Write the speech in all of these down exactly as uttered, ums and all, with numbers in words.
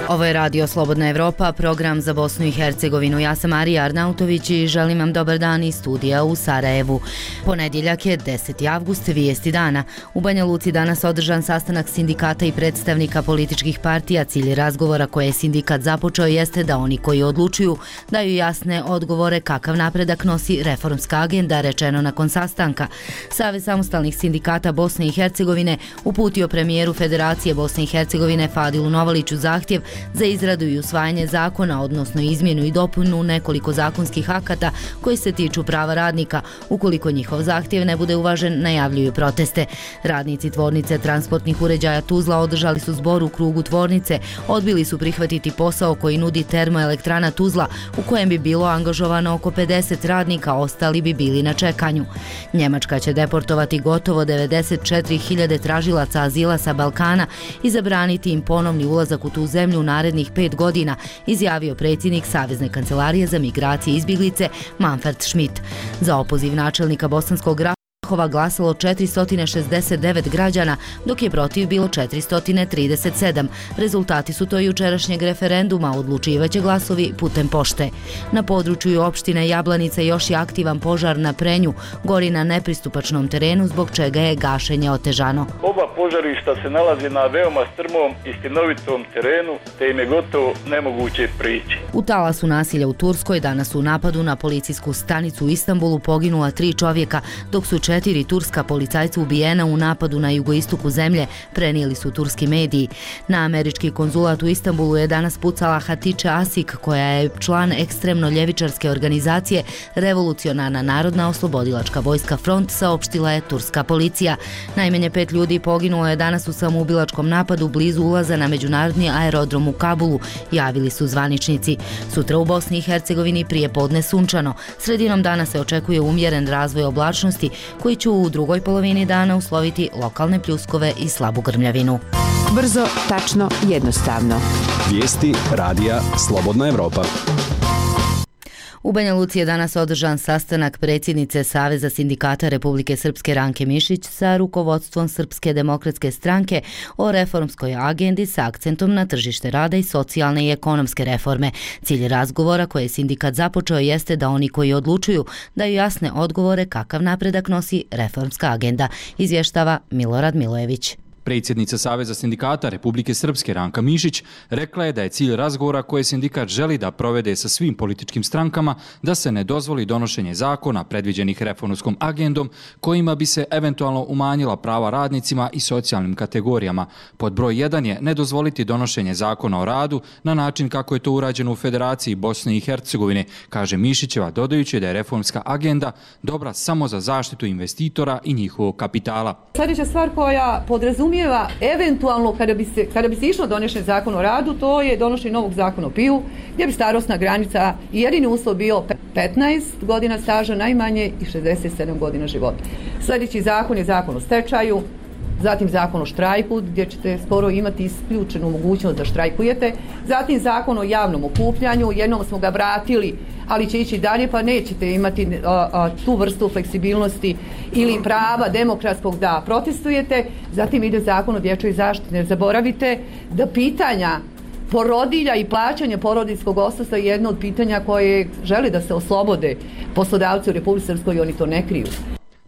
Ovo je Radio Slobodna Evropa, program za Bosnu i Hercegovinu. Ja sam Marija Arnautović i želim vam dobar dan iz studija u Sarajevu. Ponedjeljak je deseti avgust, vijesti dana. U Banja Luci danas održan sastanak sindikata i predstavnika političkih partija. Cilj razgovora koje je sindikat započeo jeste da oni koji odlučuju daju jasne odgovore kakav napredak nosi reformska agenda, rečeno nakon sastanka. Savez samostalnih sindikata Bosne i Hercegovine uputio premijeru Federacije Bosne i Hercegovine Fadilu Novaliću zahtjev za izradu i usvajanje zakona, odnosno izmjenu i dopunu nekoliko zakonskih akata koji se tiču prava radnika. Ukoliko njihov zahtjev ne bude uvažen, najavljuju proteste. Radnici tvornice transportnih uređaja Tuzla održali su zbor u krugu tvornice, odbili su prihvatiti posao koji nudi termoelektrana Tuzla, u kojem bi bilo angažovano oko pedeset radnika, ostali bi bili na čekanju. Njemačka će deportovati gotovo devedeset četiri hiljade tražilaca azila sa Balkana i zabraniti im ponovni ulazak u tu zemlju u narednih pet godina, izjavio predsjednik Savezne kancelarije za migracije i izbjeglice Manfred Schmidt. Za opoziv načelnika Bosanskog Grahova glasalo četiristo šezdeset devet građana, dok je protiv bilo četiristo trideset sedam. Rezultati su to jučerašnjeg referenduma, odlučivaće glasovi putem pošte. Na području opštine Jablanica još je aktivan požar na Prenju, gori na nepristupačnom terenu, zbog čega je gašenje otežano. Oba požarišta se nalazi na veoma strmom i stinovitom terenu, te im je gotovo nemoguće prići. U talasu nasilja u Turskoj danas u napadu na policijsku stanicu u Istanbulu poginula tri čovjeka, dok su četiri turska policajca ubijena u napadu na jugoistoku zemlje, prenijeli su turski mediji. Na američki konzulat u Istanbulu je danas pucala Hatice Asik, koja je član ekstremno ljevičarske organizacije Revolucionarna narodna oslobodilačka vojska Front, saopštila je turska policija. Najmanje pet ljudi poginulo je danas u samoubilačkom napadu blizu ulaza na međunarodni aerodrom u Kabulu, javili su zvaničnici. Sutra u Bosni i Hercegovini prije podne sunčano. Sredinom dana se očekuje umjeren razvoj oblačnosti, koji će u drugoj polovini dana usloviti lokalne pljuskove i slabu grmljavinu. Brzo, tačno, jednostavno. Vijesti Radija Slobodna Evropa. U Banja Luci je danas održan sastanak predsjednice Saveza sindikata Republike Srpske Ranke Mišić sa rukovodstvom Srpske demokratske stranke o reformskoj agendi sa akcentom na tržište rada i socijalne i ekonomske reforme. Cilj razgovora koje je sindikat započeo jeste da oni koji odlučuju daju jasne odgovore kakav napredak nosi reformska agenda, izvještava Milorad Milojević. Predsjednica Saveza sindikata Republike Srpske Ranka Mišić rekla je da je cilj razgovora koje sindikat želi da provede sa svim političkim strankama da se ne dozvoli donošenje zakona predviđenih reformskom agendom kojima bi se eventualno umanjila prava radnicima i socijalnim kategorijama. Pod broj jedan je ne dozvoliti donošenje zakona o radu na način kako je to urađeno u Federaciji Bosne i Hercegovine, kaže Mišićeva, dodajući da je reformska agenda dobra samo za zaštitu investitora i njihovog kapitala. Sljedeća stvar koja podrazumijeva eventualno kada bi se, kada bi se išlo donošenje zakona o radu, to je donošenje novog zakona o P I U, gdje bi starosna granica i jedini uslov bio petnaest godina staža najmanje i šezdeset sedam godina života. Sljedeći zakon je zakon o stečaju, zatim zakon o štrajku, gdje ćete skoro imati isključenu mogućnost da štrajkujete, zatim zakon o javnom okupljanju, jednom smo ga vratili, ali će ići dalje, pa nećete imati a, a, tu vrstu fleksibilnosti ili prava demokratskog da protestujete. Zatim ide zakon o dječjoj zaštiti. Ne zaboravite da pitanja porodilja i plaćanja porodiljskog odsustva je jedno od pitanja koje žele da se oslobode poslodavci u Republici Srpskoj i oni to ne kriju.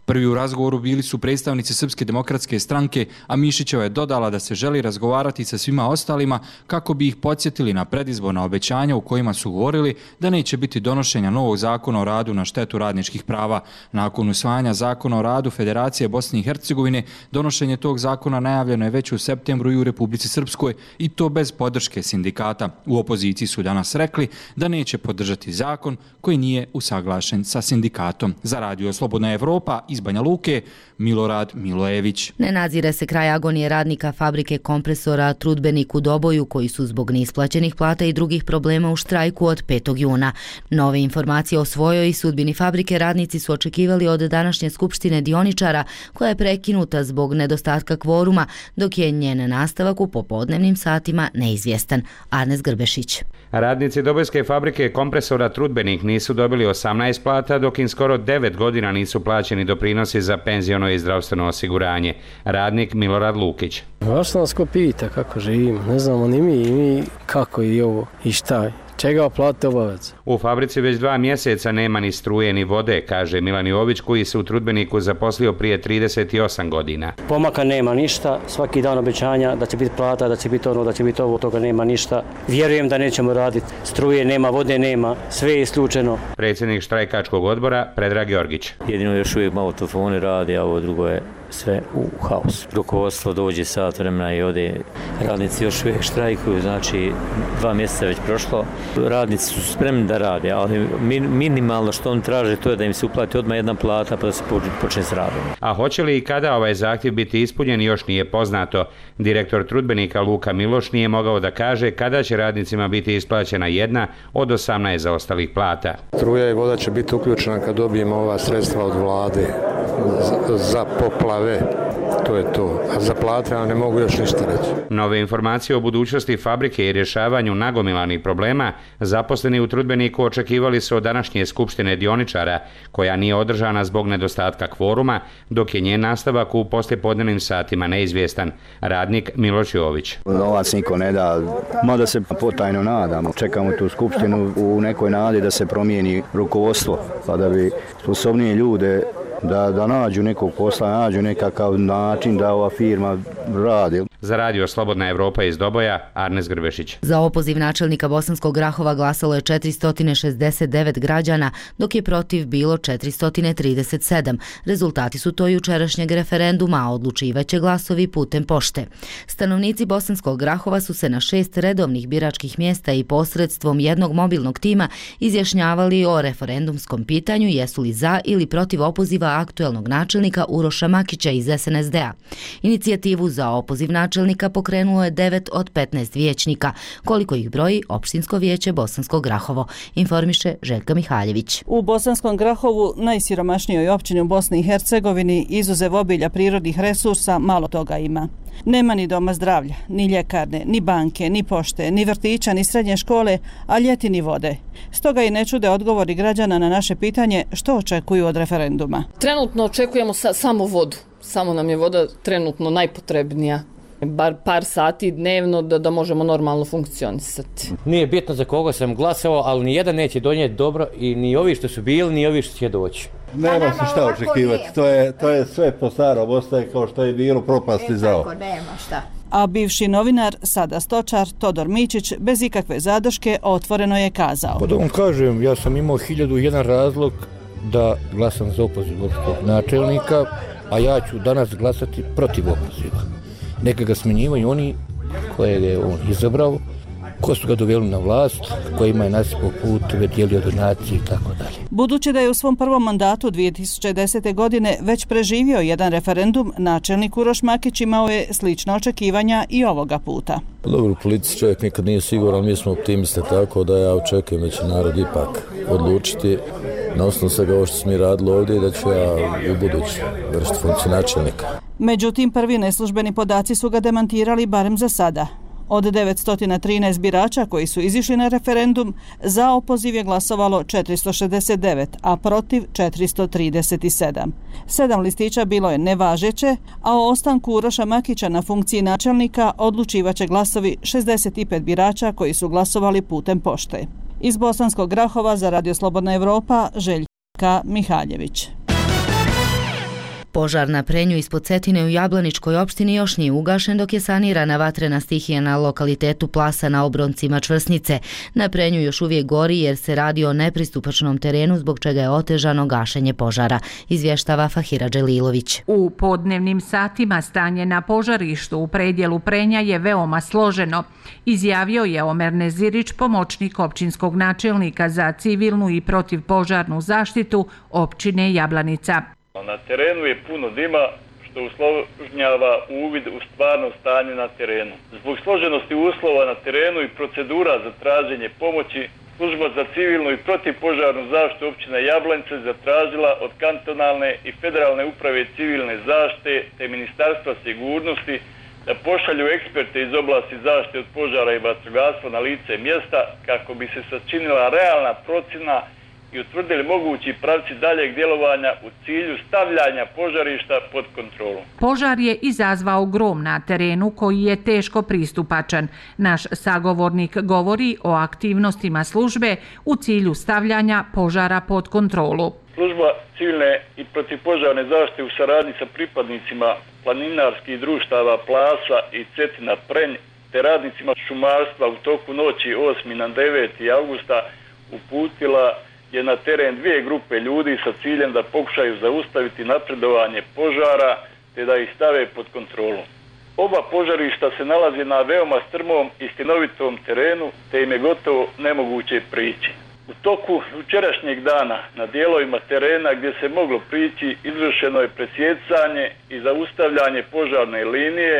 Prvi u razgovoru bili su predstavnici Srpske demokratske stranke, a Mišićeva je dodala da se želi razgovarati sa svima ostalima kako bi ih podsjetili na predizborna obećanja u kojima su govorili da neće biti donošenja novog zakona o radu na štetu radničkih prava. Nakon usvajanja zakona o radu Federacije Bosne i Hercegovine, donošenje tog zakona najavljeno je već u septembru i u Republici Srpskoj, i to bez podrške sindikata. U opoziciji su danas rekli da neće podržati zakon koji nije usaglašen sa sindikatom. Za Radio Slobodna Evropa iz Banja Luke, Milorad Milojević. Ne nadzire se kraj agonije radnika fabrike kompresora Trudbenik u Doboju, koji su zbog neisplaćenih plata i drugih problema u štrajku od petog juna. Nove informacije o svojoj sudbini fabrike radnici su očekivali od današnje skupštine dioničara, koja je prekinuta zbog nedostatka kvoruma, dok je njen nastavak u popodnevnim satima neizvjestan. Arnes Grbešić. Radnici dobojske fabrike kompresora Trudbenik nisu dobili osamnaest plata, dok im skoro devet godina nisu plaćeni doprinosi doprinosi za penziono i zdravstveno osiguranje. Radnik Milorad Lukić. Vaša nas ko pita kako živimo, ne znamo ni mi, mi kako i ovo i šta. Čega plate obavez? U fabrici već dva mjeseca nema ni struje ni vode, kaže Milan Jović koji se u Trudbeniku zaposlio prije trideset osam godina. Pomaka nema ništa, svaki dan obećanja da će biti plata, da će biti ono, da će biti ovo, toga nema ništa. Vjerujem da nećemo raditi, struje nema, vode nema, sve je isključeno. Predsjednik štrajkačkog odbora Predrag Jorgić. Jedino još uvijek malo telefoni radi, a ovo drugo je sve u haosu. Rukovodstvo dođe sat vremena i ode, radnici još uvijek štrajkuju, znači dva mjeseca već prošlo. Radnici su spremni da rade, ali minimalno što oni traže to je da im se uplati odmah jedna plata pa da se počne s radom. A hoće li i kada ovaj zahtjev biti ispunjen još nije poznato. Direktor Trudbenika Luka Miloš nije mogao da kaže kada će radnicima biti isplaćena jedna od osamnaest zaostalih plata. Struja i voda će biti uključena kad dobijemo ova sredstva od vlade za, za poplave. To je to. A za plate ja ne mogu još ništa reći. Nove informacije o budućnosti fabrike i rješavanju nagomilanih problema zaposleni u Trudbeniku očekivali su od današnje skupštine dioničara, koja nije održana zbog nedostatka kvoruma, dok je njen nastavak u poslijepodnevnim satima neizvjestan. Radnik Miloš Jović. Novac niko ne da, mada se potajno nadamo. Čekamo tu skupštinu u nekoj nadi da se promijeni rukovodstvo, pa da bi sposobnije ljude Da, da nađu nekog posla, nađu nekakav način da ova firma radi. Za radio Slobodna Evropa iz Doboja, Arnes Grbešić. Za opoziv načelnika Bosanskog Grahova glasalo je četiristo šezdeset devet građana, dok je protiv bilo četiristo trideset sedam. Rezultati su to jučerašnjeg referenduma, a odlučivaće glasovi putem pošte. Stanovnici Bosanskog Grahova su se na šest redovnih biračkih mjesta i posredstvom jednog mobilnog tima izjašnjavali o referendumskom pitanju jesu li za ili protiv opoziva aktuelnog načelnika Uroša Makića iz es en es de a. Inicijativu za opoziv načelnika pokrenuo je devet od petnaest vijećnika, koliko ih broji Opštinsko vijeće Bosansko Grahovo, informiše Željka Mihaljević. U Bosanskom Grahovu, najsiromašnijoj općini u Bosni i Hercegovini, izuzev obilja prirodnih resursa, malo toga ima. Nema ni doma zdravlja, ni ljekarne, ni banke, ni pošte, ni vrtića, ni srednje škole, a ljeti ni vode. Stoga i ne čude odgovori građana na naše pitanje što očekuju od referenduma. Trenutno očekujemo sa, samo vodu. Samo nam je voda trenutno najpotrebnija. Bar par sati dnevno da, da možemo normalno funkcionisati. Nije bitno za koga sam glasao, ali ni jedan neće donijeti dobro i ni ovi što su bili, ni ovi što će doći. Nema se šta očekivati, to je, to je sve po starom, ostaje kao što je bilo, propasti zao. Tako, nema šta. A bivši novinar, sada stočar, Todor Mičić, bez ikakve zadrške otvoreno je kazao. Pa da vam kažem, ja sam imao hiljadu jedan razlog da glasam za opoziv načelnika, a ja ću danas glasati protiv opoziva. Neka ga smenjivaju oni koje je on izabrao, ko su ga doveli na vlast, kojima je nasipao puteve, dijelio donacije i tako dalje. Budući da je u svom prvom mandatu dvije tisuće desete. godine već preživio jedan referendum, načelnik Uroš Makić imao je slična očekivanja i ovoga puta. Dobro, u politici čovjek nikad nije siguran, mi smo optimiste, tako da ja očekujem da će narod ipak odlučiti na osnovu svega ovo što smo mi radili ovdje, da ću ja u budući vršiti funkciju načelnika. Međutim, prvi neslužbeni podaci su ga demantirali barem za sada. Od devetsto trinaest birača koji su izišli na referendum, za opoziv je glasovalo četiristo šezdeset devet, a protiv četiristo trideset sedam. Sedam listića bilo je nevažeće, a o ostanku Uroša Makića na funkciji načelnika odlučivaće glasovi šezdeset pet birača koji su glasovali putem pošte. Iz Bosanskog Grahova za Radio Slobodna Evropa, Željka Mihaljević. Požar na Prenju ispod Cetine u Jablaničkoj opštini još nije ugašen dok je sanirana vatrena stihija na lokalitetu Plasa na obroncima Čvrsnice. Na Prenju još uvijek gori jer se radi o nepristupačnom terenu zbog čega je otežano gašenje požara, izvještava Fahira Dželilović. U podnevnim satima stanje na požarištu u predjelu Prenja je veoma složeno, izjavio je Omer Nezirić, pomoćnik općinskog načelnika za civilnu i protivpožarnu zaštitu općine Jablanica. Na terenu je puno dima što usložnjava uvid u stvarno stanje na terenu. Zbog složenosti uslova na terenu i procedura za traženje pomoći, služba za civilnu i protivpožarnu zaštitu općine Jablanica zatražila od kantonalne i federalne uprave civilne zaštite te Ministarstva sigurnosti da pošalju eksperte iz oblasti zaštite od požara i vatrogastva na lice mjesta kako bi se sačinila realna procjena i utvrdili mogući pravci daljeg djelovanja u cilju stavljanja požarišta pod kontrolu. Požar je izazvao grom na terenu koji je teško pristupačan. Naš sagovornik govori o aktivnostima službe u cilju stavljanja požara pod kontrolu. Služba civilne i protivpožarne zaštite u saradnji sa pripadnicima planinarskih društava Plasa i Cetina Prenj te radnicima šumarstva u toku noći osmog na deveti avgusta uputila je na teren dvije grupe ljudi sa ciljem da pokušaju zaustaviti napredovanje požara te da ih stave pod kontrolu. Oba požarišta se nalaze na veoma strmom i stinovitom terenu te im je gotovo nemoguće prići. U toku jučerašnjeg dana na dijelovima terena gdje se moglo prići izvršeno je presjecanje i zaustavljanje požarne linije,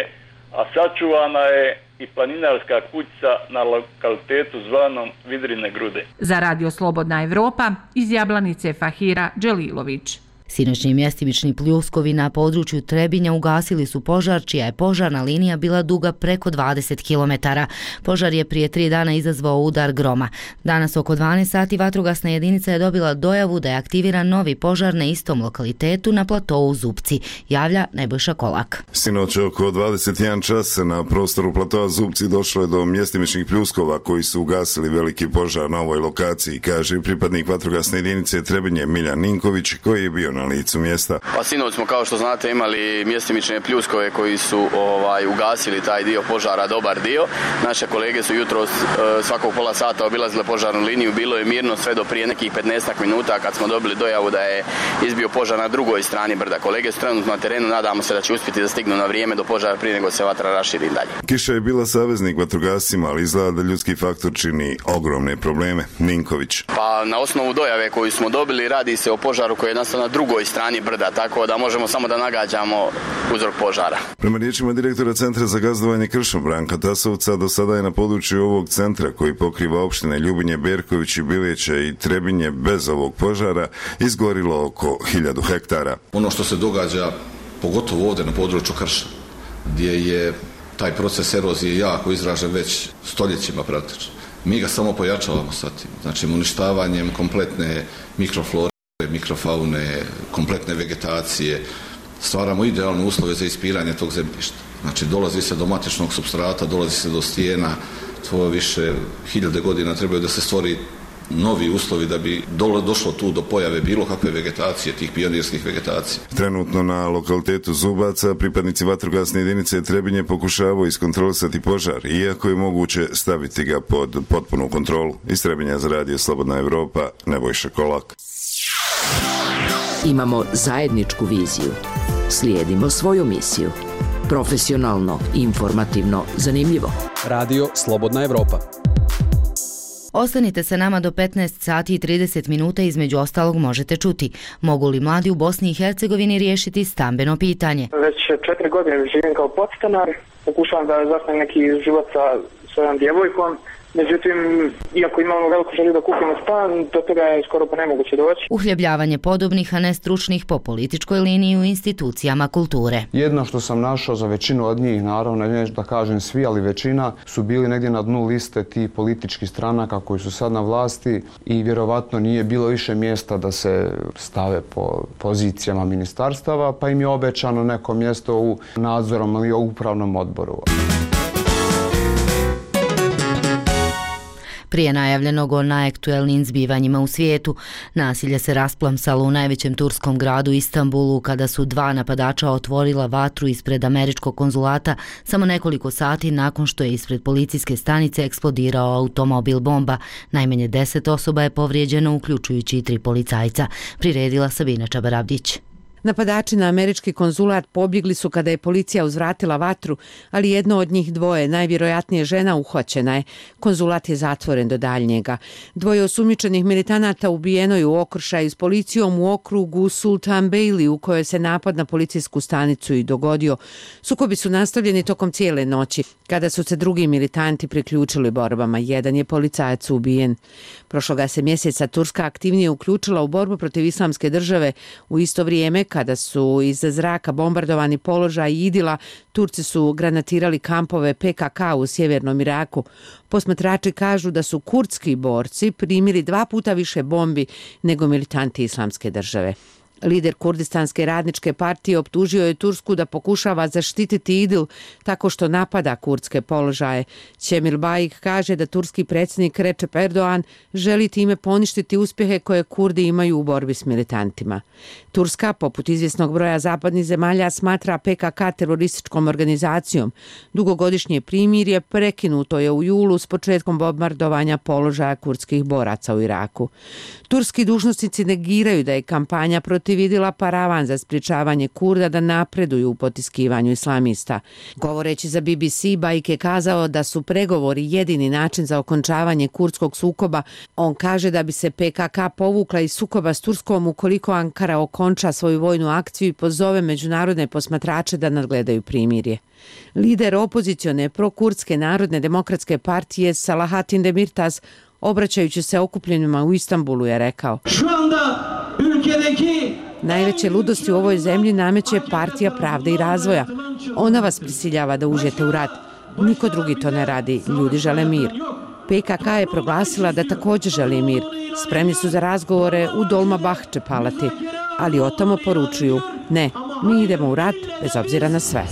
a sačuvana je i planinarska kućica na lokalitetu zvanom Vidrine grude. Za Radio Slobodna Evropa iz Jablanice Fahira Dželilović. Sinoćni mjestimični pljuskovi na području Trebinja ugasili su požar, čija je požarna linija bila duga preko dvadeset kilometara. Požar je prije tri dana izazvao udar groma. Danas oko dvanaest sati vatrogasna jedinica je dobila dojavu da je aktiviran novi požar na istom lokalitetu na platovu Zupci, javlja Nebojša Kolak. Sinoć oko dvadeset jedan čas na prostoru platova Zupci došlo je do mjestimičnih pljuskova koji su ugasili veliki požar na ovoj lokaciji, kaže pripadnik vatrogasne jedinice Trebinje Miljan Ninković, koji je bio na licu mjesta. Pa sinoć smo, kao što znate, imali mjestimične pljuskove koji su ovaj, ugasili taj dio požara, dobar dio. Naše kolege su jutros e, svakog pola sata obilazile požarnu liniju, bilo je mirno sve do prije nekih petnaestak minuta kad smo dobili dojavu da je izbio požar na drugoj strani brda. Kolege su trenutno na terenu, nadamo se da će uspjeti da stignu na vrijeme do požara prije nego se vatra raširi dalje. Kiša je bila saveznik vatrogascima, ali izgleda da ljudski faktor čini ogromne probleme. Ninković. Pa na osnovu dojave koju smo dobili radi se o požaru koji je nastao na drugoj strani brda, tako da možemo samo da nagađamo uzrok požara. Prema riječima direktora Centra za gazdovanje kršom Branka Tasovca, do sada je na području ovog centra koji pokriva opštine Ljubinje, Berković i Biljeće i Trebinje bez ovog požara izgorilo oko hiljadu hektara. Ono što se događa, pogotovo ovdje na području krša, gdje je taj proces erozije jako izražen već stoljećima praktično. Mi ga samo pojačavamo sa tim, znači uništavanjem kompletne mikroflore, mikrofaune, kompletne vegetacije, stvaramo idealne uslove za ispiranje tog zemljišta. Znači dolazi se do matičnog supstrata, dolazi se do stijena, to više hiljade godina trebaju da se stvori novi uslovi da bi došlo tu do pojave bilo kakve vegetacije, tih pionirskih vegetacija. Trenutno na lokalitetu Zubaca pripadnici vatrogasne jedinice Trebinje pokušavaju iskontrolisati požar, iako je moguće staviti ga pod potpunu kontrolu. Iz Trebinja za Radio Slobodna Evropa, Nebojša Kolak. Imamo zajedničku viziju. Slijedimo svoju misiju. Profesionalno, informativno, zanimljivo. Radio Slobodna Evropa. Ostanite sa nama do petnaest sati i trideset minuta, između ostalog možete čuti. Mogu li mladi u Bosni i Hercegovini riješiti stambeno pitanje? Već četiri godine živim kao podstanar, pokušavam da zasnem neki život sa svojom djevojkom. Međutim, iako imamo veliku želju da kupimo stan, do toga je skoro pa nemoguće doći. Uhljebljavanje podobnih, a ne stručnih po političkoj liniji u institucijama kulture. Jedno što sam našao za većinu od njih, naravno, ne da kažem svi, ali većina su bili negdje na dnu liste tih političkih stranaka koji su sad na vlasti i vjerovatno nije bilo više mjesta da se stave po pozicijama ministarstava, pa im je obećano neko mjesto u nadzorom ili upravnom odboru. Prije najavljenog o najaktuelnijim zbivanjima u svijetu, nasilje se rasplamsalo u najvećem turskom gradu Istanbulu kada su dva napadača otvorila vatru ispred američkog konzulata samo nekoliko sati nakon što je ispred policijske stanice eksplodirao automobil bomba. Najmanje deset osoba je povrijeđeno, uključujući i tri policajca. Priredila Sabina Čabarabdić. Napadači na američki konzulat pobjegli su kada je policija uzvratila vatru, ali jedno od njih dvoje, najvjerojatnije žena, uhvaćena je. Konzulat je zatvoren do daljnjega. Dvoje osumnjičenih militanata ubijeno je u okršaju s policijom u okrugu Sultan Beyli, u kojoj se napad na policijsku stanicu i dogodio. Sukobi su nastavljeni tokom cijele noći, kada su se drugi militanti priključili borbama. Jedan je policajac ubijen. Prošloga se mjeseca Turska aktivnije uključila u borbu protiv islamske države u isto vrijeme kada su iz zraka bombardovani položaj Idila, Turci su granatirali kampove P K K u sjevernom Iraku. Posmatrači kažu da su kurdski borci primili dva puta više bombi nego militanti Islamske države. Lider Kurdistanske radničke partije optužio je Tursku da pokušava zaštititi Idil tako što napada kurdske položaje. Cemil Bayik kaže da turski predsjednik Recep Erdogan želi time poništiti uspjehe koje Kurdi imaju u borbi s militantima. Turska, poput izvjesnog broja zapadnih zemalja, smatra P K K terorističkom organizacijom. Dugogodišnje primirje prekinuto je u julu s početkom bombardovanja položaja kurdskih boraca u Iraku. Turski dužnosnici negiraju da je kampanja protiv Idila paravan za sprječavanje Kurda da napreduju u potiskivanju islamista. Govoreći za B B C, Bayik je kazao da su pregovori jedini način za okončavanje kurdskog sukoba. On kaže da bi se P K K povukla iz sukoba s Turskom ukoliko Ankara okonča svoju vojnu akciju i pozove međunarodne posmatrače da nadgledaju primirje. Lider opozicione prokurdske narodne demokratske partije Salahatin Demirtas, obraćajući se okupljenima u Istanbulu, je rekao: najveće ludosti u ovoj zemlji nameće Partija pravde i razvoja. Ona vas prisiljava da uđete u rat. Niko drugi to ne radi. Ljudi žele mir. P K K je proglasila da također želi mir. Spremni su za razgovore u Dolmabahče palati, ali o tamo poručuju: ne, mi idemo u rat bez obzira na sve.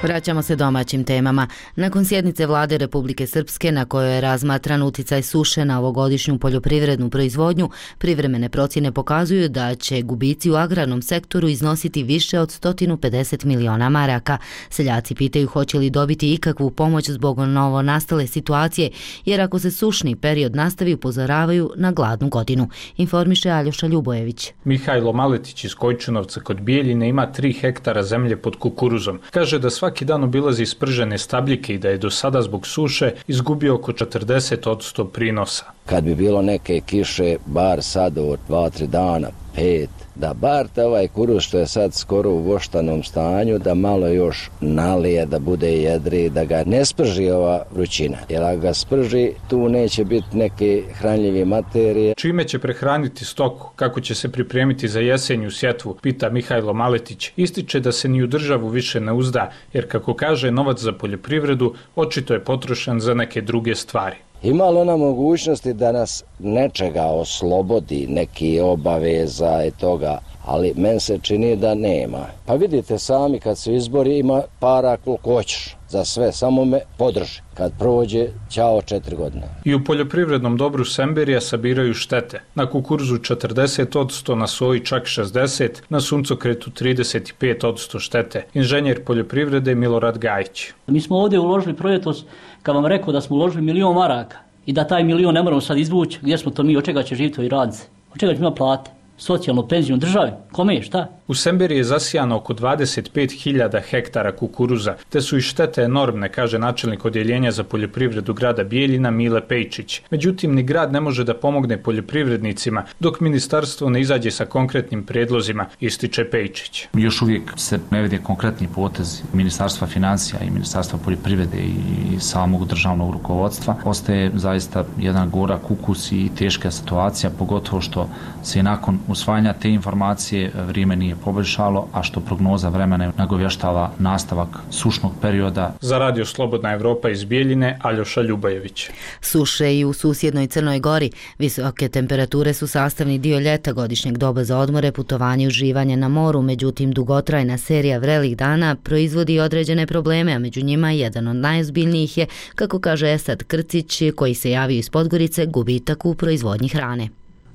Vraćamo se domaćim temama. Nakon sjednice vlade Republike Srpske na kojoj je razmatran uticaj suše na ovogodišnju poljoprivrednu proizvodnju, privremene procjene pokazuju da će gubici u agrarnom sektoru iznositi više od sto pedeset miliona maraka. Seljaci pitaju hoće li dobiti ikakvu pomoć zbog novo nastale situacije, jer ako se sušni period nastavi, upozoravaju na gladnu godinu. Informiše Aljoša Ljubojević. Mihajlo Maletić iz Kojčinovca kod Bijeljine ima tri hektara zemlje pod kukuruzom. Kaže da svaki Svaki dan obilazi spržene stabljike i da je do sada zbog suše izgubio oko četrdeset posto prinosa. Kad bi bilo neke kiše, bar sad od dva, tri dana, pet, da bar te ovaj kuruz što je sad skoro u voštanom stanju, da malo još nalije, da bude jedri, da ga ne sprži ova vrućina. Jer ako ga sprži, tu neće biti neke hranljive materije. Čime će prehraniti stoku, kako će se pripremiti za jesenju sjetvu, pita Mihajlo Maletić. Ističe da se ni u državu više ne uzda, jer kako kaže, novac za poljoprivredu očito je potrošen za neke druge stvari. Ima li ona mogućnosti da nas nečega oslobodi, neki obaveza i toga, ali meni se čini da nema. Pa vidite sami, kad su izbori, ima para koliko hoćeš za sve, samo me podrži. Kad prođe, ćao četiri godine. I u poljoprivrednom dobru Semberija sabiraju štete. Na kukuruzu četrdeset posto, na soji čak šezdeset posto, na suncokretu trideset pet posto štete. Inženjer poljoprivrede Milorad Gajić. Mi smo ovdje uložili projektos, kad vam rekao da smo uložili milion maraka i da taj milion ne moramo sad izvući, gdje smo to mi, od čega će živjeti ovi radnici, od čega će ima plate, socijalnu penziju države, kome je, šta? U Semberiji je zasijano oko dvadeset pet hiljada hektara kukuruza, te su i štete enormne, kaže načelnik odjeljenja za poljoprivredu grada Bijeljina Mile Pejčić. Međutim, ni grad ne može da pomogne poljoprivrednicima dok ministarstvo ne izađe sa konkretnim prijedlozima, ističe Pejčić. Još uvijek se ne vidi konkretni potez Ministarstva financija i Ministarstva poljoprivrede i samog državnog rukovodstva. Ostaje zaista jedan gorak ukus i teška situacija, pogotovo što se nakon usvajanja te informacije vrijeme nije poboljšalo, a što prognoza vremena nagovještava nastavak sušnog perioda. Za Radio Slobodna Evropa iz Bijeljine, Aljoša Ljubojević. Suše i u susjednoj Crnoj Gori. Visoke temperature su sastavni dio ljeta, godišnjeg doba za odmore, putovanje i uživanje na moru. Međutim, dugotrajna serija vrelih dana proizvodi određene probleme, a među njima jedan od najozbiljnijih je, kako kaže Esad Krcić, koji se javio iz Podgorice, gubitak u proizvodnji hrane.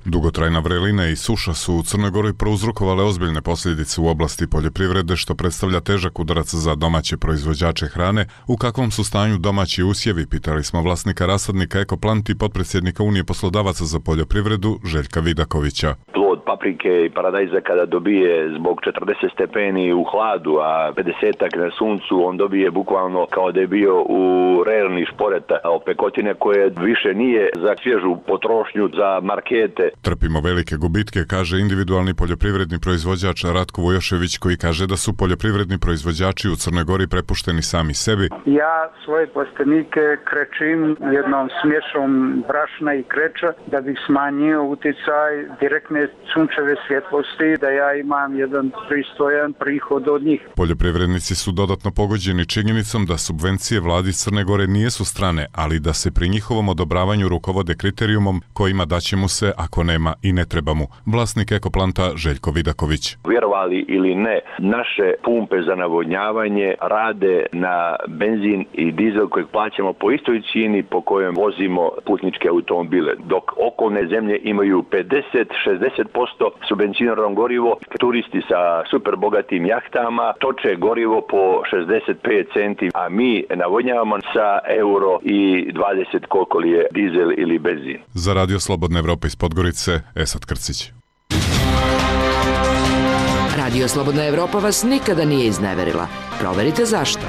Dugotrajna vrelina i suša su u Crnoj Gori prouzrokovale ozbiljne posljedice u oblasti poljoprivrede, što predstavlja težak udarac za domaće proizvođače hrane. U kakvom su stanju domaći usjevi, pitali smo vlasnika rasadnika Ekoplant i potpredsjednika Unije poslodavaca za poljoprivredu Željka Vidakovića. Plod paprike i paradajza kada dobije zbog četrdeset stepeni u hladu, a pedesetak na suncu, on dobije bukvalno kao da je bio u rerni šporeta opekotine koje više nije za svježu potrošnju, za markete. Trpimo velike gubitke, kaže individualni poljoprivredni proizvođač Ratko Vojošević, koji kaže da su poljoprivredni proizvođači u Crnoj Gori prepušteni sami sebi. Ja svoje plastenike krečim jednom smješom brašna i kreča da bih smanjio utjecaj direktne sunčeve svjetlosti, da ja imam jedan pristojan prihod od njih. Poljoprivrednici su dodatno pogođeni činjenicom da subvencije vladi Crne Gore nijesu strane, ali da se pri njihovom odobravanju rukovode kriterijumom kojima daće mu se ako nema i ne treba mu. Vlasnik Ekoplanta Željko Vidaković. Vjerovali ili ne, naše pumpe za navodnjavanje rade na benzin i dizel kojeg plaćamo po istoj cijeni po kojem vozimo putničke automobile, dok okolne zemlje imaju pedeset do šezdeset posto subvencionirano gorivo. Turisti sa super bogatim jahtama toče gorivo po šezdeset pet centi, a mi navodnjavamo sa euro i dvadeset koliko li je dizel ili benzin. Za Radio Slobodna Evropa iz Podgorice, Esad Krcić. Radio Slobodna Evropa vas nikada nije izneverila. Proverite zašto.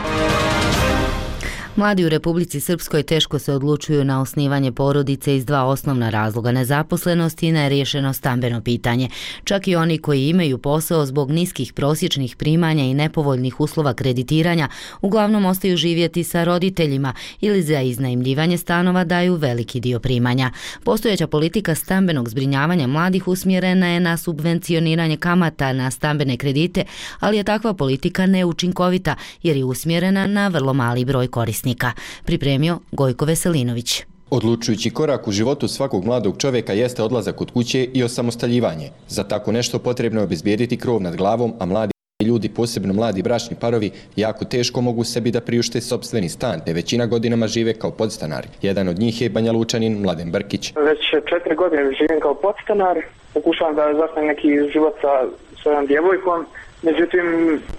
Mladi u Republici Srpskoj teško se odlučuju na osnivanje porodice iz dva osnovna razloga: nezaposlenost i neriješeno stambeno pitanje. Čak i oni koji imaju posao zbog niskih prosječnih primanja i nepovoljnih uslova kreditiranja uglavnom ostaju živjeti sa roditeljima ili za iznajmljivanje stanova daju veliki dio primanja. Postojeća politika stambenog zbrinjavanja mladih usmjerena je na subvencioniranje kamata na stambene kredite, ali je takva politika neučinkovita jer je usmjerena na vrlo mali broj korisnika. Pripremio Gojko Veselinović. Odlučujući korak u životu svakog mladog čovjeka jeste odlazak od kuće i osamostaljivanje. Za tako nešto potrebno je obezbijediti krov nad glavom, a mladi ljudi, posebno mladi bračni parovi, jako teško mogu sebi da priušte sopstveni stan, te većina godinama žive kao podstanari. Jedan od njih je Banja Lučanin Mladen Brkić. Već četiri godine živim kao podstanar, pokušavam da zasnem neki život sa svojom djevojkom. Međutim,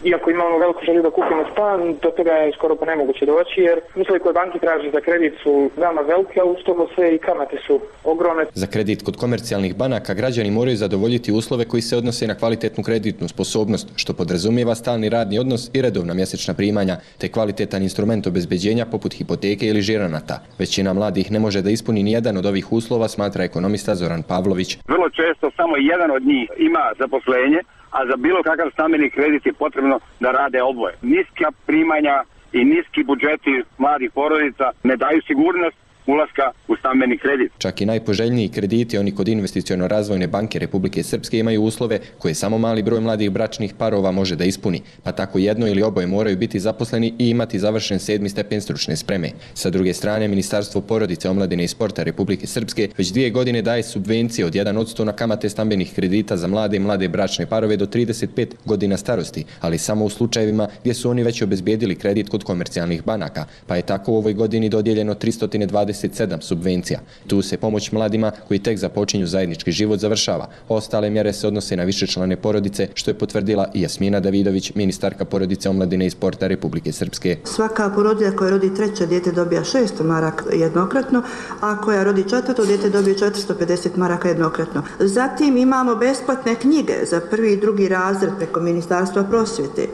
iako imamo veliku želju da kupimo stan, do toga je skoro pa nemoguće doći, jer uslovi koje banki traže za kredit su veoma velike, a uz to sve i kamate su ogromne. Za kredit kod komercijalnih banaka građani moraju zadovoljiti uslove koji se odnose na kvalitetnu kreditnu sposobnost, što podrazumijeva stalni radni odnos i redovna mjesečna primanja, te kvalitetan instrument obezbeđenja poput hipoteke ili žiranata. Većina mladih ne može da ispuni ni jedan od ovih uslova, smatra ekonomista Zoran Pavlović. Vrlo često samo jedan od njih ima zaposlenje, a za bilo kakav stambeni kredit je potrebno da rade oboje. Niska primanja i niski budžeti mladih porodica ne daju sigurnost ulaska u stambeni kredit. Čak i najpoželjniji krediti, oni kod Investiciono-razvojne banke Republike Srpske, imaju uslove koje samo mali broj mladih bračnih parova može da ispuni, pa tako jedno ili oboje moraju biti zaposleni i imati završen sedmi stepen stručne spreme. Sa druge strane, Ministarstvo porodice, omladine i sporta Republike Srpske već dvije godine daje subvencije od jedan posto na kamate stambenih kredita za mlade i mlade bračne parove do trideset pet godina starosti, ali samo u slučajevima gdje su oni već obezbijedili kredit kod komercijalnih banaka, pa je tako u ovoj godini dodijeljeno tristo dvadeset sedam subvencija. Tu se pomoć mladima koji tek započinju zajednički život završava. Ostale mjere se odnose na višečlane porodice, što je potvrdila i Jasmina Davidović, ministarka porodice, omladine i sporta Republike Srpske. Svaka porodilja koja rodi treće dijete dobija šesto maraka jednokratno, a koja rodi četvrto dijete dobije četiristo pedeset maraka jednokratno. Zatim imamo besplatne knjige za prvi i drugi razred preko Ministarstva prosvjete.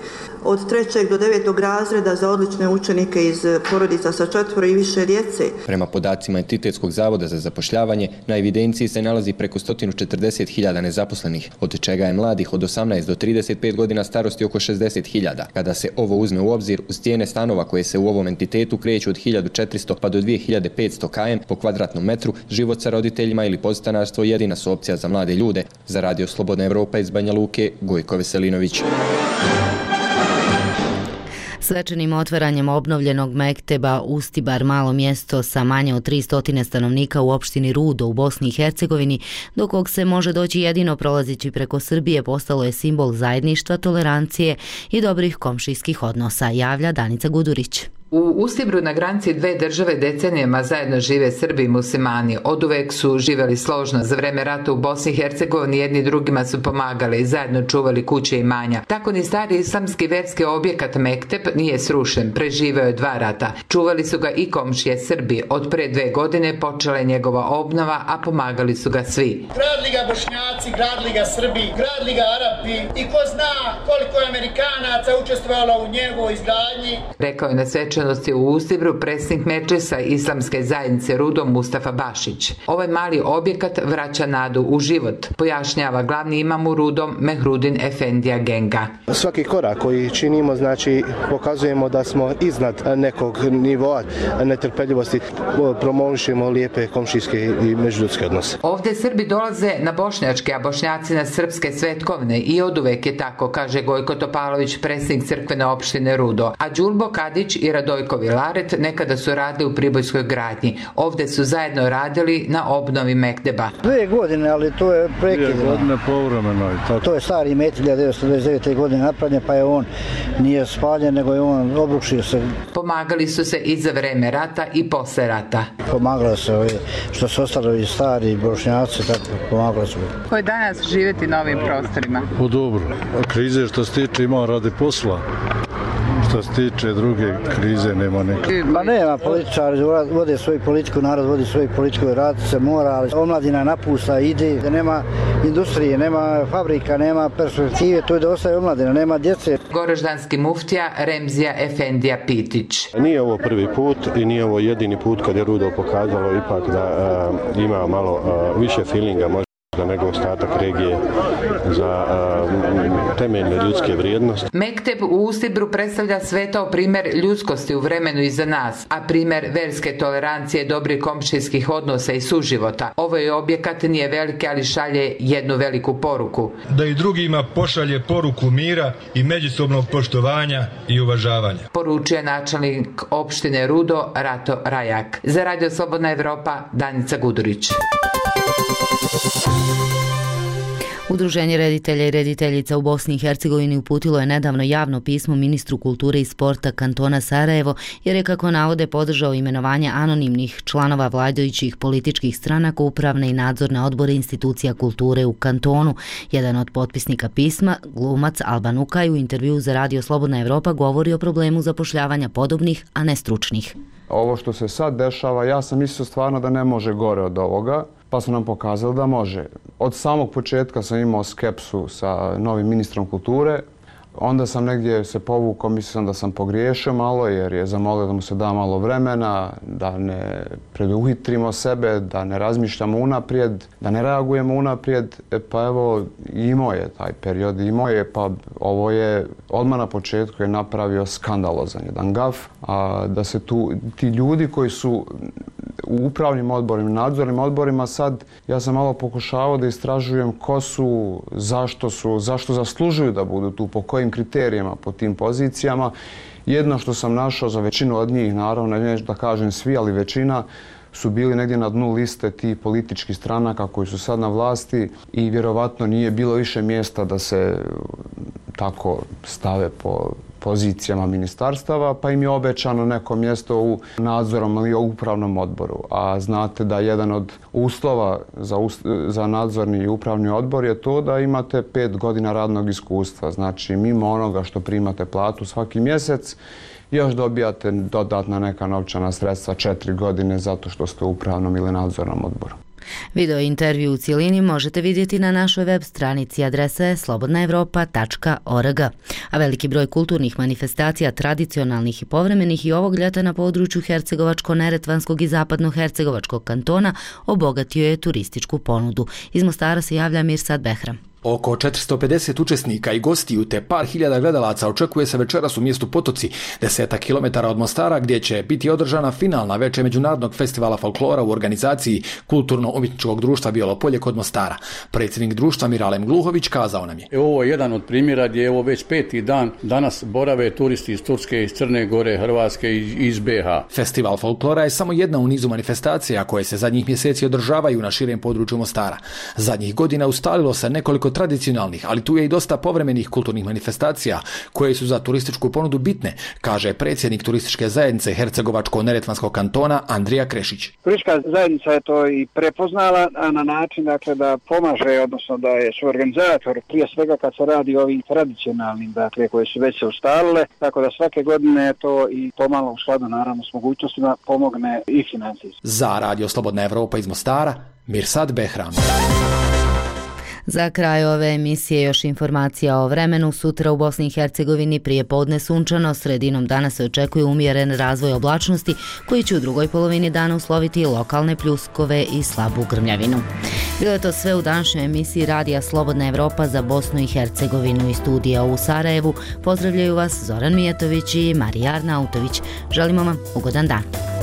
Od trećeg do devetog razreda za odlične učenike iz porodica sa četvoro i više djece. Prema podacima Entitetskog zavoda za zapošljavanje, na evidenciji se nalazi preko sto četrdeset hiljada nezaposlenih, od čega je mladih od osamnaest do trideset pet godina starosti oko šezdeset hiljada. Kada se ovo uzme u obzir, uz cijene stanova koje se u ovom entitetu kreću od hiljadu četiristo pa do dvije hiljade petsto km po kvadratnom metru, život sa roditeljima ili podstanarstvo jedina su opcija za mlade ljude. Za Radio Slobodna Evropa iz Banja Luke, Gojko Veselinović. Svečanim otvaranjem obnovljenog mekteba Ustibar, malo mjesto sa manje od tristo stanovnika u opštini Rudo u Bosni i Hercegovini, do kog se može doći jedino prolazeći preko Srbije, postalo je simbol zajedništva, tolerancije i dobrih komšijskih odnosa, javlja Danica Gudurić. U Ustibru na granici dve države decenijama zajedno žive Srbi i muslimani. Oduvek su živeli složno. Za vreme rata u Bosni i Hercegovini jedni drugima su pomagali i zajedno čuvali kuće i imanja. Tako ni stari islamski verski objekat Mektep nije srušen. Preživeo je dva rata. Čuvali su ga i komšije Srbi. Od pre dve godine počela je njegova obnova, a pomagali su ga svi. Gradili ga Bošnjaci, gradili ga Srbi, gradili ga Arapi i ko zna koliko je Amerikanaca učestvovalo u njegovoj izgradnji. Rekao je na svečanosti u Ustibru predsjednik Medžlisa Islamske zajednice Rudo Mustafa Bašić. Ovaj mali objekat vraća nadu u život, pojašnjava glavni imam u Rudom Mehrudin Efendija Genga. Svaki korak koji činimo, znači pokazujemo da smo iznad nekog nivoa netrpeljivosti, promovišemo lijepe komšijske i međuljudske odnose. Ovdje Srbi dolaze na bošnjačke, a Bošnjaci na srpske svetkovne i oduvek je tako, kaže Gojko Topalović, predsjednik crkvene opštine Rudo. A Đulbo Kadić i Radojko Vilaret nekada su radili u Pribojskoj gradnji. Ovdje su zajedno radili na obnovi Mekteba. Dve godine, ali to je prekidno. Dve godine povremeno. To je stari met hiljadu devetsto dvadeset devete. godine napravljen, pa je on nije spaljen, nego je on obrušio se. Pomagali su se i za vreme rata i posle rata. Pomagalo se ovi, što su ostali stari Bošnjaci, tako pomagalo se. Ko je danas živjeti na ovim prostorima? U dobro. Krize što se tiče ima radi posla. Što se tiče druge krize nema neke. Pa nema, političari vode svoju politiku, narod vodi svoju politiku, rad se mora, ali omladina napusta, ide, da nema industrije, nema fabrika, nema perspektive, to je da ostaje omladina, nema djece. Goraždanski muftija Remzija Efendija Pitić. Nije ovo prvi put i nije ovo jedini put kad je Rudo pokazalo ipak da uh, ima malo uh, više feelinga, možda nego ostatak regije za uh, temeljne ljudske vrijednosti. Mekteb u Ustibru predstavlja svetao primjer ljudskosti u vremenu iza nas, a primjer verske tolerancije, dobrih komšijskih odnosa i suživota. Ovo je objekat, nije veliki, ali šalje jednu veliku poruku. Da i drugima pošalje poruku mira i međusobnog poštovanja i uvažavanja. Poručuje načelnik opštine Rudo Rato Rajak. Za Radio Slobodna Evropa, Danica Gudurić. Udruženje reditelja i rediteljica u Bosni i Hercegovini uputilo je nedavno javno pismo ministru kulture i sporta kantona Sarajevo, jer je, kako navode, podržao imenovanje anonimnih članova vladajućih političkih stranaka u upravne i nadzorne odbore institucija kulture u kantonu. Jedan od potpisnika pisma, glumac Alban Ukaj, u intervju za Radio Slobodna Evropa govori o problemu zapošljavanja podobnih, a ne stručnih. Ovo što se sad dešava, ja sam mislio stvarno da ne može gore od ovoga, pa su nam pokazali da može. Od samog početka sam imao skepsu sa novim ministrom kulture, onda sam negdje se povukao, mislio sam da sam pogriješio malo jer je zamolio da mu se da malo vremena, da ne preduhitrimo sebe, da ne razmišljamo unaprijed, da ne reagujemo unaprijed. E pa evo, imao je taj period, imao je, pa ovo je odmah na početku je napravio skandalozan jedan gaf, a da se tu ti ljudi koji su u upravnim odborima, nadzornim odborima, sad ja sam malo pokušavao da istražujem ko su, zašto su, zašto zaslužuju da budu tu, po kojim kriterijama, po tim pozicijama. Jedno što sam našao za većinu od njih, naravno, neću da kažem svi, ali većina su bili negdje na dnu liste ti političkih stranaka koji su sad na vlasti i vjerovatno nije bilo više mjesta da se tako stave po pozicijama ministarstava, pa im je obećano neko mjesto u nadzornom ili upravnom odboru. A znate da jedan od uslova za, za nadzorni i upravni odbor je to da imate pet godina radnog iskustva. Znači, mimo onoga što primate platu svaki mjesec, još dobijate dodatna neka novčana sredstva četiri godine zato što ste u upravnom ili nadzornom odboru. Video intervju u cijelini možete vidjeti na našoj web stranici, adresa je slobodna evropa tačka org. A veliki broj kulturnih manifestacija, tradicionalnih i povremenih, i ovog ljeta na području Hercegovačko-Neretvanskog i Zapadno-Hercegovačkog kantona obogatio je turističku ponudu. Iz Mostara se javlja Mirsad Behram. Oko četiristo pedeset učesnika i gostiju te par hiljada gledalaca očekuje se večeras u mjestu Potoci, desetak kilometara od Mostara, gdje će biti održana finalna večer Međunarodnog festivala folklora u organizaciji Kulturno-umjetničkog društva Bijelo Polje kod Mostara. Predsjednik društva Miralem Gluhović kazao nam je: Ovo je jedan od primjera gdje je ovo već peti dan. Danas borave turisti iz Turske, iz Crne Gore, Hrvatske i iz be ha. Festival folklora je samo jedna u nizu manifestacija koje se zadnjih mjeseci održavaju na širem području Mostara. Zadnjih godina ustalilo se nekoliko tradicionalnih, ali tu je i dosta povremenih kulturnih manifestacija koje su za turističku ponudu bitne, kaže predsjednik turističke zajednice Hercegovačko-neretvanskog kantona Andrija Krešić. Turistička zajednica je to i prepoznala, a na način dakle, da pomaže, odnosno da je suorganizator, prije svega kad se radi o ovim tradicionalnim, dakle, koje su već se ustalile, tako da svake godine to i pomalo u skladu naravno s mogućnostima pomogne i financijski. Za Radio Slobodna Evropa iz Mostara, Mirsad Behram. Za kraj ove emisije još informacija o vremenu. Sutra u Bosni i Hercegovini prije podne sunčano, sredinom dana se očekuje umjeren razvoj oblačnosti koji će u drugoj polovini dana usloviti lokalne pljuskove i slabu grmljavinu. Bilo je to sve u današnjoj emisiji Radija Slobodna Evropa za Bosnu i Hercegovinu i studija u Sarajevu. Pozdravljaju vas Zoran Mijetović i Marija Arnautović. Želimo vam ugodan dan.